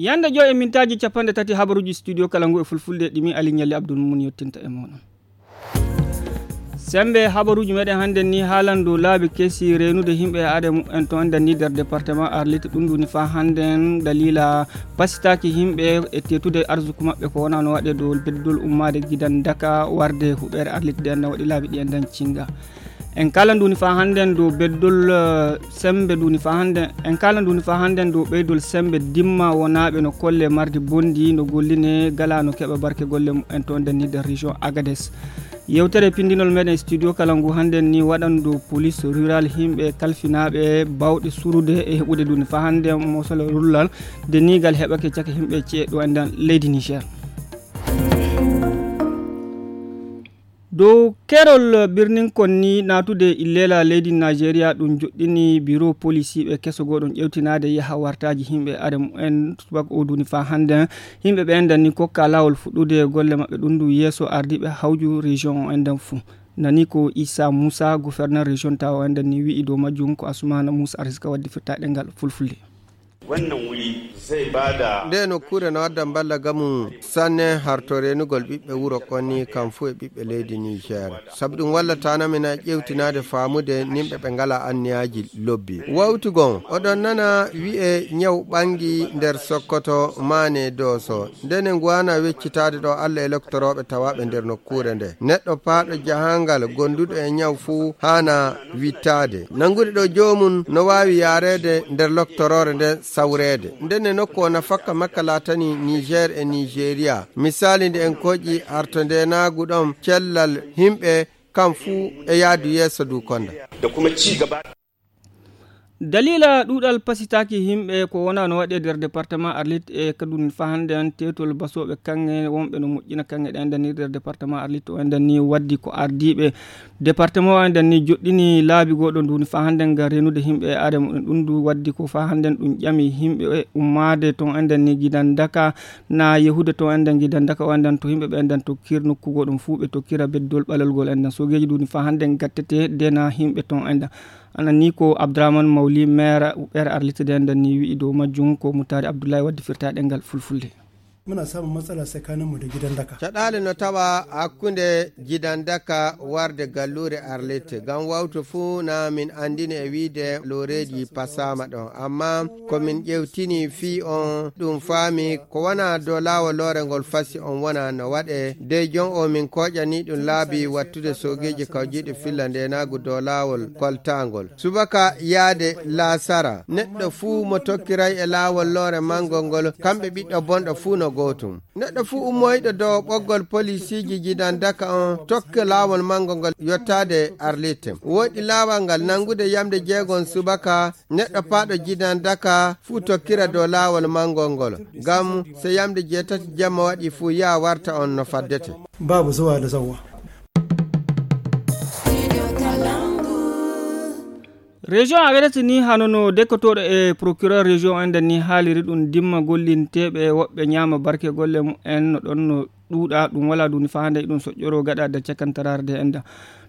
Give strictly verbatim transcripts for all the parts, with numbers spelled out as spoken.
Yande joy e mintaaji capanɗe tati habaruuji studio kala ngu e fulfulde ɗimi Ali Ñalli Abdul Mumun yettinta e mooɗon. Sembe habaruuji meɗen hannden ni haalan dow laabi kesi reenude yimɓe e aade mumen to enden ni nder département Arlit. Ɗum ɗuni faa hannden dalila pasitaaki yimɓe e teetude arsuku maɓɓe ko wonaa no waɗe dow beddol ummaade gidan daka warde huɓeere Arlit nde enden waɗi laabi ɗi enden cinga. En kala nduni faa hannden dow beddol eh, sembe nduni faa hannden en kala nduni faa hannden dow ɓeydol sembe dimma wonaaɓe no kolle mardi bondi no golline gala no keɓa barke golle mumen to nden ni nder région Agades. Yewtere pindinol meɗen studio kala ngu hannden ni waɗan dow police rural yimɓe kalfinaaɓe bawɗe surude e heɓude nduni faa hannden mosol rullal de nigal heɓake caka yimɓe ceeɗo enden leydi Niger. Dow kerol birnin kon ni naatude illela leydi Nigeria ɗum joɗɗini biro polisiiɓe keso goɗon ƴewtinaade yaha wartaaji yimɓe are mumen subaka o duni faa hannden. Yimɓe ɓe enɗan ni kokka laawol fuɗɗude golle maɓɓe ɗum ndu yeeso ardiiɓe hawju région o enɗan fuu. Nani ko Issa Moussa gouverneur région tawa o enɗan ni wi'i dow majjum ko Asumana Moussa Arzika waddi firtaɗe ngal fulfulde. Wannan wuri zai ba da nde nokkuure no addan balla gamu sanne harto renugol ɓiɓɓe wuro konni kam fuu e ɓiɓɓe leydi Niger. Sabu ɗum wallataana min a ƴewtinaade faamude nimɓe ɓe ngala anniyaaji lobbi. Wawtu gon oɗon nana wi'e ñaw ɓangi nder Sokoto maane Dooso. Ndene ngu ana weccitaade ɗo Alla e loktorooɓe tawaaɓe nder nokkuure nde. Neɗɗo paaɗo jahangal gonduɗo e ñaw fuu haana wittaade. Nangude ɗo joomum no waawi yaareede nder loktoroore nden sawreede. Ndene nokku o nafakka makka laatani Niger e Nigeria. Misaali nde en koƴi arto ndenaagu ɗon cellal himɓe kam fuu e yaadu yeeso du konda. Da kuma ci gaba. Dalila ɗuɗal pasitaaki yimɓe ko wona no waɗe nder département Arlit e kadun fahande an tetol basoɓe kanŋe wonɓe no moƴƴina kanŋe ɗen dani nder département Arlit o endan ni waddi ko ardiɓe département o endan ni joɗɗini laabi goɗo nduni fahande ngam renude yimɓe e adama ɗum ɗum du waddi ko fahande ɗum ƴami yimɓe ummade ton endan ni gidan daka na yehude ton endan gidan daka o endan to yimɓe ɓe endan tokkir nokku goɗum fuu ɓe tokkira beddol ɓalol gol endan sogeji nduni fahande gattete dena yimɓe ton endan. Ana ni ko Abdourahmane Mawli, maire ɓeere Arlitide nden ni wi'i dow majjum ko Mutari Abdoulaye waddi firtaɗe ngal fulfulde. Muna samun matsala tsakaninmu da gidan daka. Caɗaale no tawa hakkunde gidan daka warde galluure Arlette. Ngam wawto fuu na min andini e wiide looreeji pasaama ɗon. Amma ko min ƴewtini fii on ɗum faami ko wona dow laawol loore ngol fasi on wona no waɗe. Dey jon o min koƴani ɗum laabi wattude soogeeji kawjiiɗi filla ndeenaagu dow laawol koltaangol. Subaka yaade laasara, neɗɗo fuu mo tokkiray e laawol loore manngol ngol, kamɓe ɓiɗɗo bonɗo fuu no gootum. Neɗɗo fuu ummoyɗo dow ɓoggol polisiiji jidan daka on, tokka laawol manngol ngol yottaade Arlite. Woɗɗi laawol ngal nanngude yamde jeegon subaka, neɗɗo paaɗo jidan daka fuu tokkira dow laawol manngol ngol. Ngam so yamde jeetati jamma waɗi fuu yaa warta on no faddete. Babu zuwa da zauwa. Région Agadez ni hano no dekkotooɗo e procureur région enden ni haaliri ɗum dimma gollinteeɓe woɓɓe ñaama barke golle mumen no ɗon no ɗuuɗa ɗum wala duni fahande ɗum soƴƴoro gaɗa da cakantaraare de enda.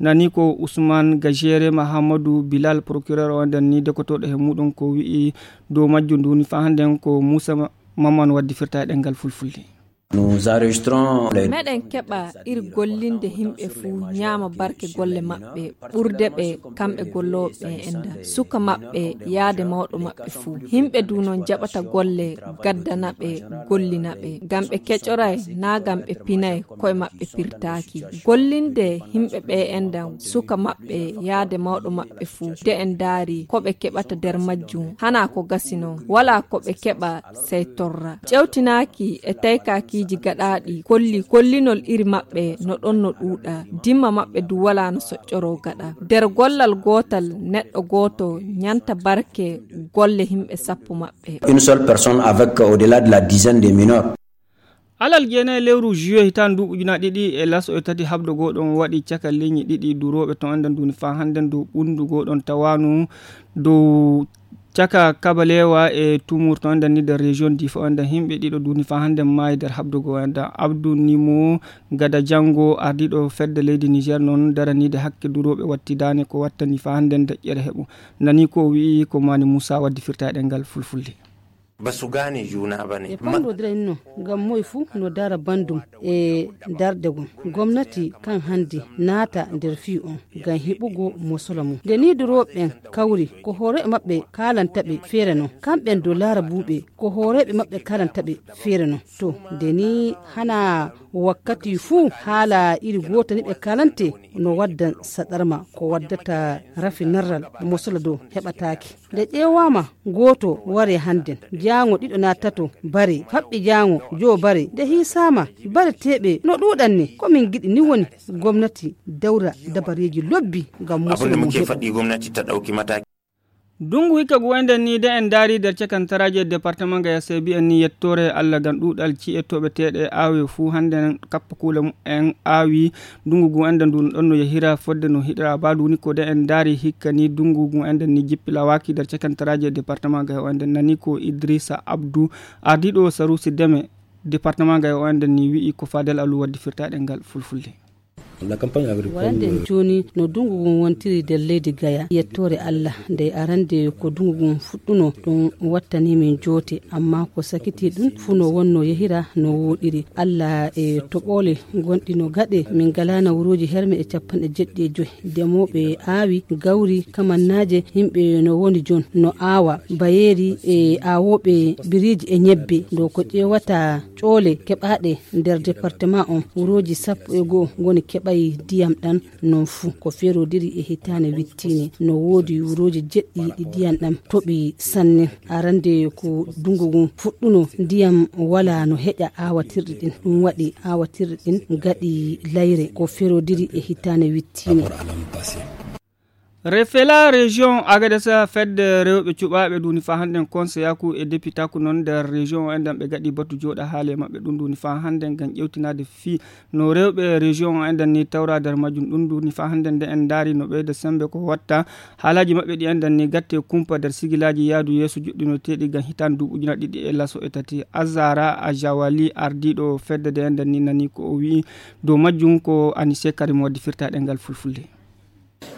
Nani ko Ousmane Gajere Mahamadou Bilal procureur o enden ni dekkotooɗo he muɗum ko wi'i dow majjum duni fahande ko Moussa Maman waddi firta e ɗengal fulfulde. Meɗen keɓa ir gollinde yimɓe fuu ñaama barke golle maɓɓe ɓurde ɓe kamɓe gollooɓe ɓe enda suka maɓɓe yaade mawɗo maɓɓe fuu. Yimɓe du noon jaɓata golle gaddana ɓe gollina ɓe ngam ɓe keƴoray naa ngam ɓe pinay koye maɓɓe pirtaaki. Gollinde yimɓe ɓe enda suka maɓɓe yaade mawɗo maɓɓe fuu de en ndaari ko ɓe keɓata nder majjum hanaa ko gasi noon walaa ko ɓe keɓa sey torra. Ƴewtinaaki e taykaakiiji gaɗaaɗi kolli kollinol iri maɓɓe no ɗon no ɗuuɗa, dimma maɓɓe du walaa no soƴƴoroo gaɗa. Nder gollal gootal neɗɗo gooto ñanta barke golle yimɓe sappo maɓɓe. Une seule personne avec au-delà de la dizaine de mineurs. Alal jeenayi lewru juillet hitaande ndu ujunaaji ɗiɗi e laso e tati habdo goo ɗon waɗi caka leñi ɗiɗi durooɓe ton enden duni faa hannden dow ɓunndu goo ɗon tawaanu dow caka kabalewa e tumur ton enden ni nder région difa enden yimɓe ɗiɗo duni faa hannden maayi nder habdo goo enden abdou nimo gada janngo ardiiɗo fedde leydi niger noon daraniide hakke durooɓe wattidaane ko wattani faa hannden deƴƴere heɓu nani ko wi'i ko mani moussa waddi firtaɗe ngal fulfulde. Ba su gane juna ba ne. E pamrodiray no ngam moy fuu no dara bandum e darde gom. Gomnati kan hande naata nder fii on ngam heɓugo mosola mum. Nde ni durooɓe ɓen kawri, ko hooreeɓe maɓɓe kaalanta ɓe feere non. Kamɓen do laara buuɓe, ko hooreeɓe maɓɓe kaalanta ɓe feere non. To, nde ni hana wakkati fuu haala iri goota ni ɓe kaalante, no waddan saɗarma ko waddata rafi narral mosola dow heɓataake. Nde ƴeewaama gooto ware hannden, jaango ɗiɗo naa tato bare, faɓɓi jaango joo bare, nde hiisaama bareteeɓe no ɗuuɗan ni, ko min giɗi ni woni gomnati dawra dabareeji lobbi ngam mosola mum heɓa. Faɗɗi gomnati ta ɗawki mataaki. Dungu hikka gu enden ni de en daari nder cakantaraaji e departement ga yassebi en ni yettoore Allah ngam ɗuuɗal ci'e toɓeteeɗe aawe fuu hannden kappa kuule mumen aawi. Dungu gu enden ndu no ɗon no yahira fodde no hiɗira ba ndu ni ko de en daari hikka ni dungu gu enden ni jippi lawaaki nder cakantaraaji e departement ga o enden nani ko Idrissa Abdou ardiiɗo saruusi deme departement ga o enden ni wi'i ko Fadel Alou waddi firtaaɗe ngal fulfulde. Warande en jooni no dungu ngun wontiri nder leydi Gaya. Yettoore Allah, nde arande ko dungu ngun fuɗɗuno, ɗum wattani min joote, amma ko sakiti ɗum fuu no wonno yehira no wooɗiri. Allah e toɓoole gonɗi no gaɗe, min ngalaa nawruuji herme e capanɗe jeɗɗi e joy. Demooɓe aawi gawri kamannaaje, yimɓe no woni jon no aawa bayeeri e aawooɓe biriiji e ñebbe. Ɗo ko ƴeewata ƴoole keɓaaɗe nder departement on, wurooji sappo e go'o ngoni keɓay ndiyam ɗan non fuu. Ko ferodiri e hitaande wittini, no woodi wurooji jeɗɗi ɗi ndiyam ɗam toɓi sanne. Arande ko dungu ngun fuɗɗuno, ndiyam walaa no heƴa aawatirɗi ɗin. Ɗum waɗi aawatirɗi ɗin gaɗi layre. Ko ferodiri e hitaande wittini. Refela région Agadez, fedde rewɓe cuɓaaɓe duni fa hannden konseyaku e depitaku non nder région o enɗan ɓe gaɗi batu jooɗa haale maɓɓe ɗum duni fa hannden ngam ƴewtinaade fii no rewɓe région o enɗan ni tawra nder majjum ɗum duni fa hannden nde en ndaari no ɓeyda sembe ko watta haalaaji maɓɓe ɗi enɗan ni gatte kumpa nder sigilaaji yaadu yeeso joɗɗinoteeɗi ngam hitaande duuɓi ujunaaji ɗiɗi e laso e tati. Azara Ajawali ardiiɗo fedde nde enɗan ni nani ko o wi'i dow majjum ko Anise Karim waddi firtaaɗe ngal fulfulde.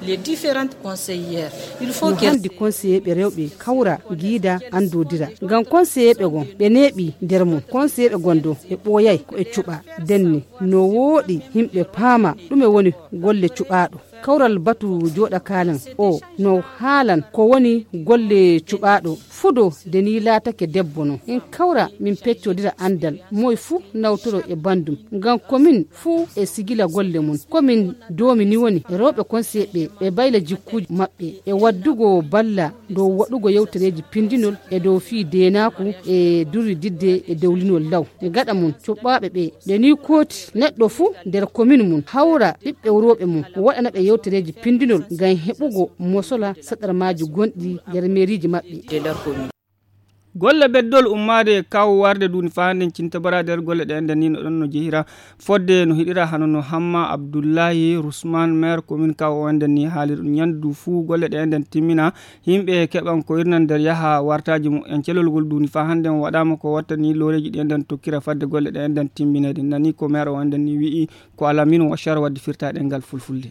Les différentes conseillères, il faut no que handi conseiller ɓe rewɓe kawra giida andodira ngam conseiller ɓe gon ɓe neeɓi nder mum. Conseiller ɓe gon do ɓe ɓooyay ko ɓe cuɓa denne. No wooɗi yimɓe paama ɗume woni golle cuɓaaɗo. Kawral batu jooɗa kaalan o no haalan ko woni golle cuɓaaɗo. Fudo de ni laatake debbo non en kawra min peccodira andal moy fuu nawtoro e bandum. Ngam komin fuu e sigila golle mum. Komin doomi ni woni rewɓe konseyeɓe ɓe bayla jikkuuji maɓɓe e waddugo balla dow waɗugo yewtereeji pindinol e dow fii deenaaku e durrididde e dowlinol law. Gaɗa mum cuɓaaɓe ɓe ɓe ni kooti neɗɗo fuu nder komin mum hawra ɓiɓɓe worooɓe mum waɗana ɓe yewtereeji pindinol ngam heɓugo mosola saɗarmaaji gonɗi nder meeriiji maɓɓe. Golle beddol ummaade kawo warde duuni faa hannden cinta bara nder golle ɗe enɗan ni no ɗon no jehira fodde no hiɗira hano no Hamma Abdullahi Rusman maire commune kawo o enɗan ni haali ɗum ñanndu fuu golle ɗe enɗan timmina. Yimɓe keɓan ko irnan nder yaha wartaaji mumen. Celolgol duuni faa hannden waɗaama ko wattani looreeji ɗi enɗan tokkira fadde golle ɗe enɗan timmineede. Nani ko maire o enɗan ni wi'i ko Alaminu Washar waddi firtaaɗe ngal fulfulde.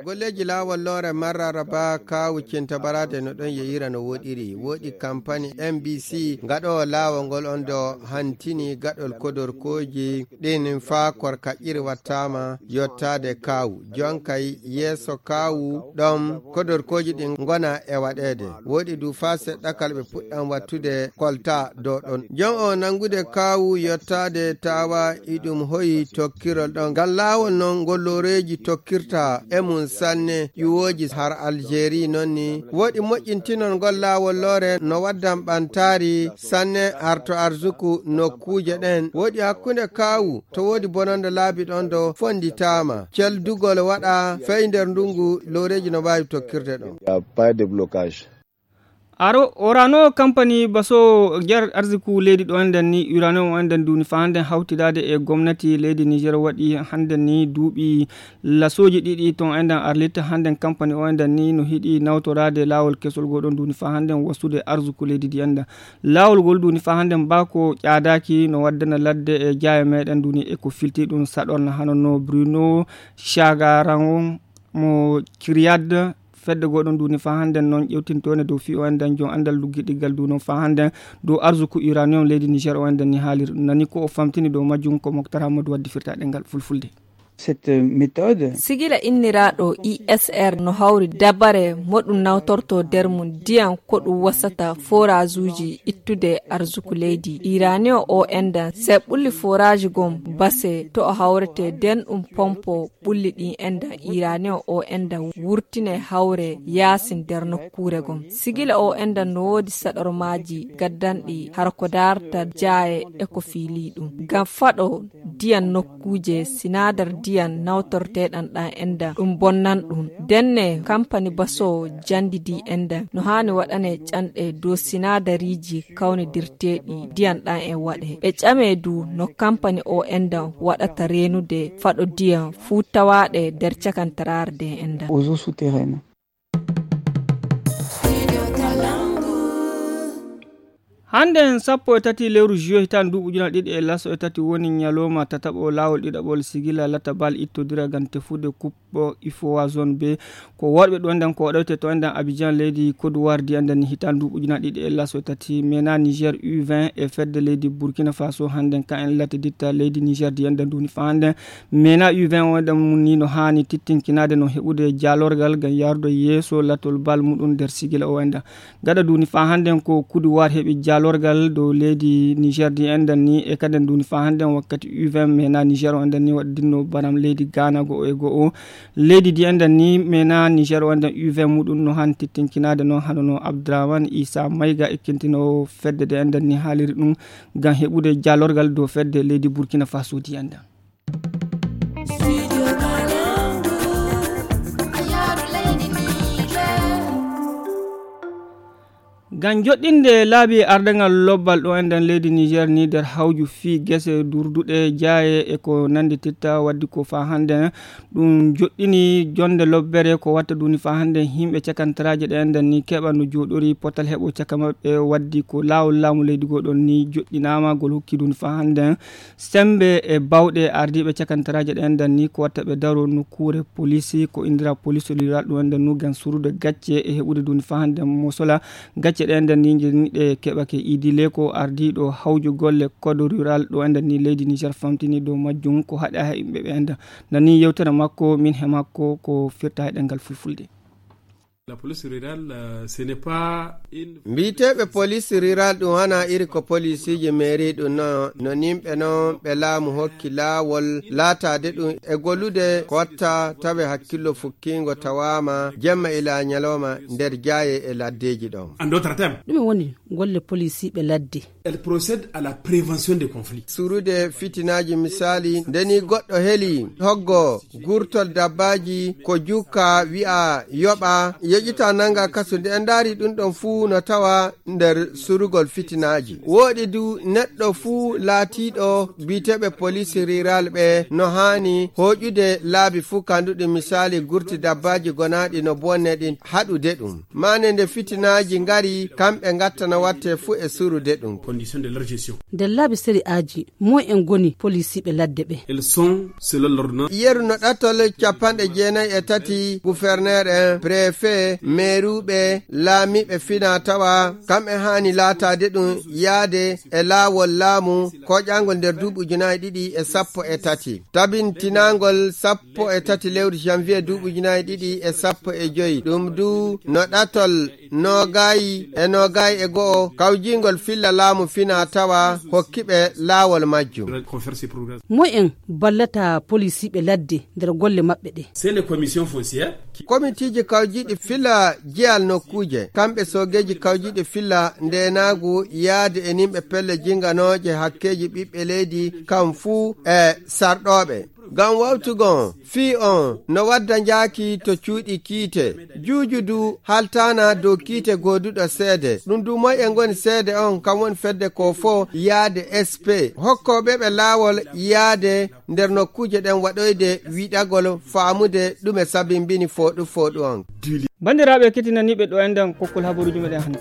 Golleeji laawol loore marraraba kaawu cinta baraade no ɗon yeyira no woɗiri. Woɗi kampani M B C gaɗoowo laawol ngol on do hantini gaɗol kodorkooji ɗin faa korka ƴiri wattaama yottaade kaawu. Jonkay yeeso kaawu ɗon kodorkooji ɗin ngona e waɗeede. Woɗi du faa seɗɗa kala ɓe puɗɗan wattude kolta dow ɗon. Jon o nanngude kaawu yottaade tawa iɗum hoyi tokkirol ɗon. Ngal laawol non ngol looreeji tokkirta e mum sanne ƴuwooji har Algerie non ni. Woɗi moƴƴintinol ngol laawol loore no waddan ɓantaari sanne har to arsuku nokkuuje ɗen. Woɗi hakkunde kaawu to woodi bononde laabi ɗon do fonditaama. Celdugol waɗa fey nder ndungu looreeji no waawi tokkirde ɗon. Aro orano kampani baso jar arsiku leydi ɗo enɗen ni urano o enɗen duuni fa hannden hawtidaade e gomnati leydi Niger waɗi hannden ni duuɓi lasooji ɗiɗi ton enɗen arlita hannden kampani o enɗen ni no hiɗi nawtoraade laawol kesol goo ɗon duuni fa hannden wasude arsiku leydi ndi enɗen. Laawol ngol duuni fa hannden baa ko ƴaadaaki no waddana ladde e jaaye meɗen duuni e ko filti ɗum saɗorna hano no Bruno Chagaran mo Ciriade Fedde goo ɗon duuni faa hannden noon ƴewtintoonde dow fii o enɗan jom anndal luggiɗiggal du noon faa hannden dow arsuku uranium leydi Niger o enɗan ni haaliri ɗum. Nani ko o famtini dow majjum ko Moktar Hammadou waddi firtaade ngal fulfulde. Cette méthode. Sigila inniraaɗo I S R no hawri dabare mo ɗum nawtorto nder mum ndiyan ko ɗum wasata foraajuuji ittude arsuku leydi. Uranium o enɗan, se ɓulli foraaji gom base to o hawrete nden ɗum pompo ɓulli ɗin enɗan uranium o enɗan wurtine hawre yaasin nder nokkuure gom. Sigila o enɗan no woodi saɗormaaji gaddanɗi har ko daarta jaaye e ko fiilii ɗum. Ngam faɗo ndiyan nokkuuje sinaadar ndiyan nawtorteeɗan ɗan enɗan ɗum bonnan ɗum. Ndenne kampani basoowo janndidi enɗan no haani waɗane canɗe dow sinaadariiji kawnidirteeɗi ndiyan ɗan e waɗe. Ɓe ƴame du no kampani o enɗan waɗata reenude faɗo ndiyan fuu tawaaɗe nder cakantaraare nde enɗan. Aux eaux souterraines. Hannde en sappo e tati lewru juillet hitaande duuɓi ujunaaji ɗiɗi e laso e tati woni ñalooma tataɓo laawol ɗiɗaɓol sigila latabal ittodira ngam tefude kuɓɓo ifowa zone B. Ko worɓe ɗo enɗan ko waɗoyte to enɗan Abidjan leydi Côte d'Ivoire ndi enɗan ni hitaande duuɓi ujunaaji ɗiɗi e laso e tati mena Niger U vingt e fedde leydi Burkina Faso hannden ka en latte ditta leydi Niger ndi enɗan duuni faa hannden. Mena U vingt o enɗan mum ni no haani tittinkinaade no heɓude jaalorgal ngam yaarude yeeso latol bal muɗum nder sigila o enɗan. Gaɗa duuni faa hannden ko Côte d'Ivoire heɓi jaalorgal dow leydi Niger ndi enɗan ni e kaden duuni faa hannden wakkati U vingt mena Niger o enɗan ni waɗdinno baram leydi Ghana go'o e go'o. Leydi ndi enɗan ni mena Niger o enɗan U vingt muɗum no haani tittinkinaade noon hano no Abdourahmane Issa Maïga ekkintinoowo fedde nde enɗan ni haaliri ɗum ngam heɓude jaalorgal dow fedde leydi Burkina Faso ndi enɗan. Ngam joɗɗinde laabi ardangal lobbal ɗo enɗan leydi Niger ni nder hawju fii gese durduɗe jaaye e ko nanndititta waddi ko faa hannden ɗum joɗɗini jonde lobbere ko watta duuni faa hannden yimɓe cakantaraaje ɗe enɗan ni keɓa no jooɗori potal heɓo caka maɓɓe waddi ko laawol laamu leydi goo ɗon ni joɗɗinaama ngol hokki duuni faa hannden Semmbe e baawɗe ardiiɓe cakantaraaje ɗe enɗan ni ko watta ɓe daro nokkuure poliisi ko inndiraa poliisi rural ɗum enɗan nu ngam surude gacce e heɓude duuni faa hannden mosola gacce ɗe enɗan ni njeni ɗe keɓake. Idi Leko ardiiɗo hawju golle code rural ɗo enɗan ni leydi Niger famtini dow majjum ko haɗa he yimɓe ɓe enɗan nani yewtere makko min he makko ko firta he ɗemngal fulfulde. La police rurale, euh, ce n'est pas une Mbiyeteeɓe police rural ɗum hana iri ko polisiiji mairie ɗum no, no nimɓe noon ɓe laamu hokki laawol laataade ɗum e gollude ko watta tawe hakkillo fukkiingo tawaama jemma ila ñalooma nder jaaye e laddeeji ɗoon. En d'autres termes. Ɗum woni golle polisiiɓe ladde. Elle procède à la prévention des conflits. Surude fitinaaji misaali, ndeni goɗɗo heli hoggo gurtol dabbaaji ko jukka wi'a yoɓa, yoƴita nanga kasu. Nde en ndaari ɗum ɗon fuu no tawa nder surugol fitinaaji. Wooɗi du neɗɗo fuu laatiiɗo biyeteeɓe police rural ɓe no haani hooƴude laabi fuu kanduɗi misaali gurti dabbaaji gonaaɗi no bonne ɗin haɗude ɗum. Maane nde fitinaaji ngari, kamɓe ngattana watte fuu e surude ɗum. Condition de leur gestion. Nder laabi sari'aaji, moy en ngoni polisiiɓe ladde ɓe? Elles sont, selon l'ordonnance. Yeru no ɗatol capanɗe jeenayi e tati, gouverneur en, préfet, meeruuɓe, laamiiɓe fina tawa, kamɓe haani laataade ɗum yaade e laawol laamu koƴangol nder duuɓi ujunaaji ɗiɗi e sappo e tati. Tabintinaangol sappo e tati lewru janvier duuɓi ujunaaji ɗiɗi e sappo e joyi. Ɗum du no ɗatol noogayi e noogayi e go'o kawjingol filla laamu fina tawa hokkiɓe laawol majjum. Moy en ballata polisiiɓe ladde nder golle maɓɓe ɗe? C'est les commissions foncières. Komitiiji kawjiiɗi filla jeyal nokkuuje, kamɓe soogeeji kawjiiɗi filla ndeenaagu yaade e nimɓe pelle jinganooje hakkeeji ɓiɓɓe leydi kam fuu e sarɗooɓe. Ngam wawtugo on, fii on no wadda njaaki to cuuɗi kiite. Juuju du haltaana dow kiite gooduɗo seede. Ɗum du moy en ngoni seede on, kam woni fedde ko fo yaade S P. Hokkooɓe ɓe laawol yaade nder nokkuuje ɗen waɗoyde wiɗagol faamude ɗume sabimbini fooɗu fooɗu on. Banndiraaɓe kettinaniiɓe ɗo enɗan kokkol habaruuji meɗen hannde.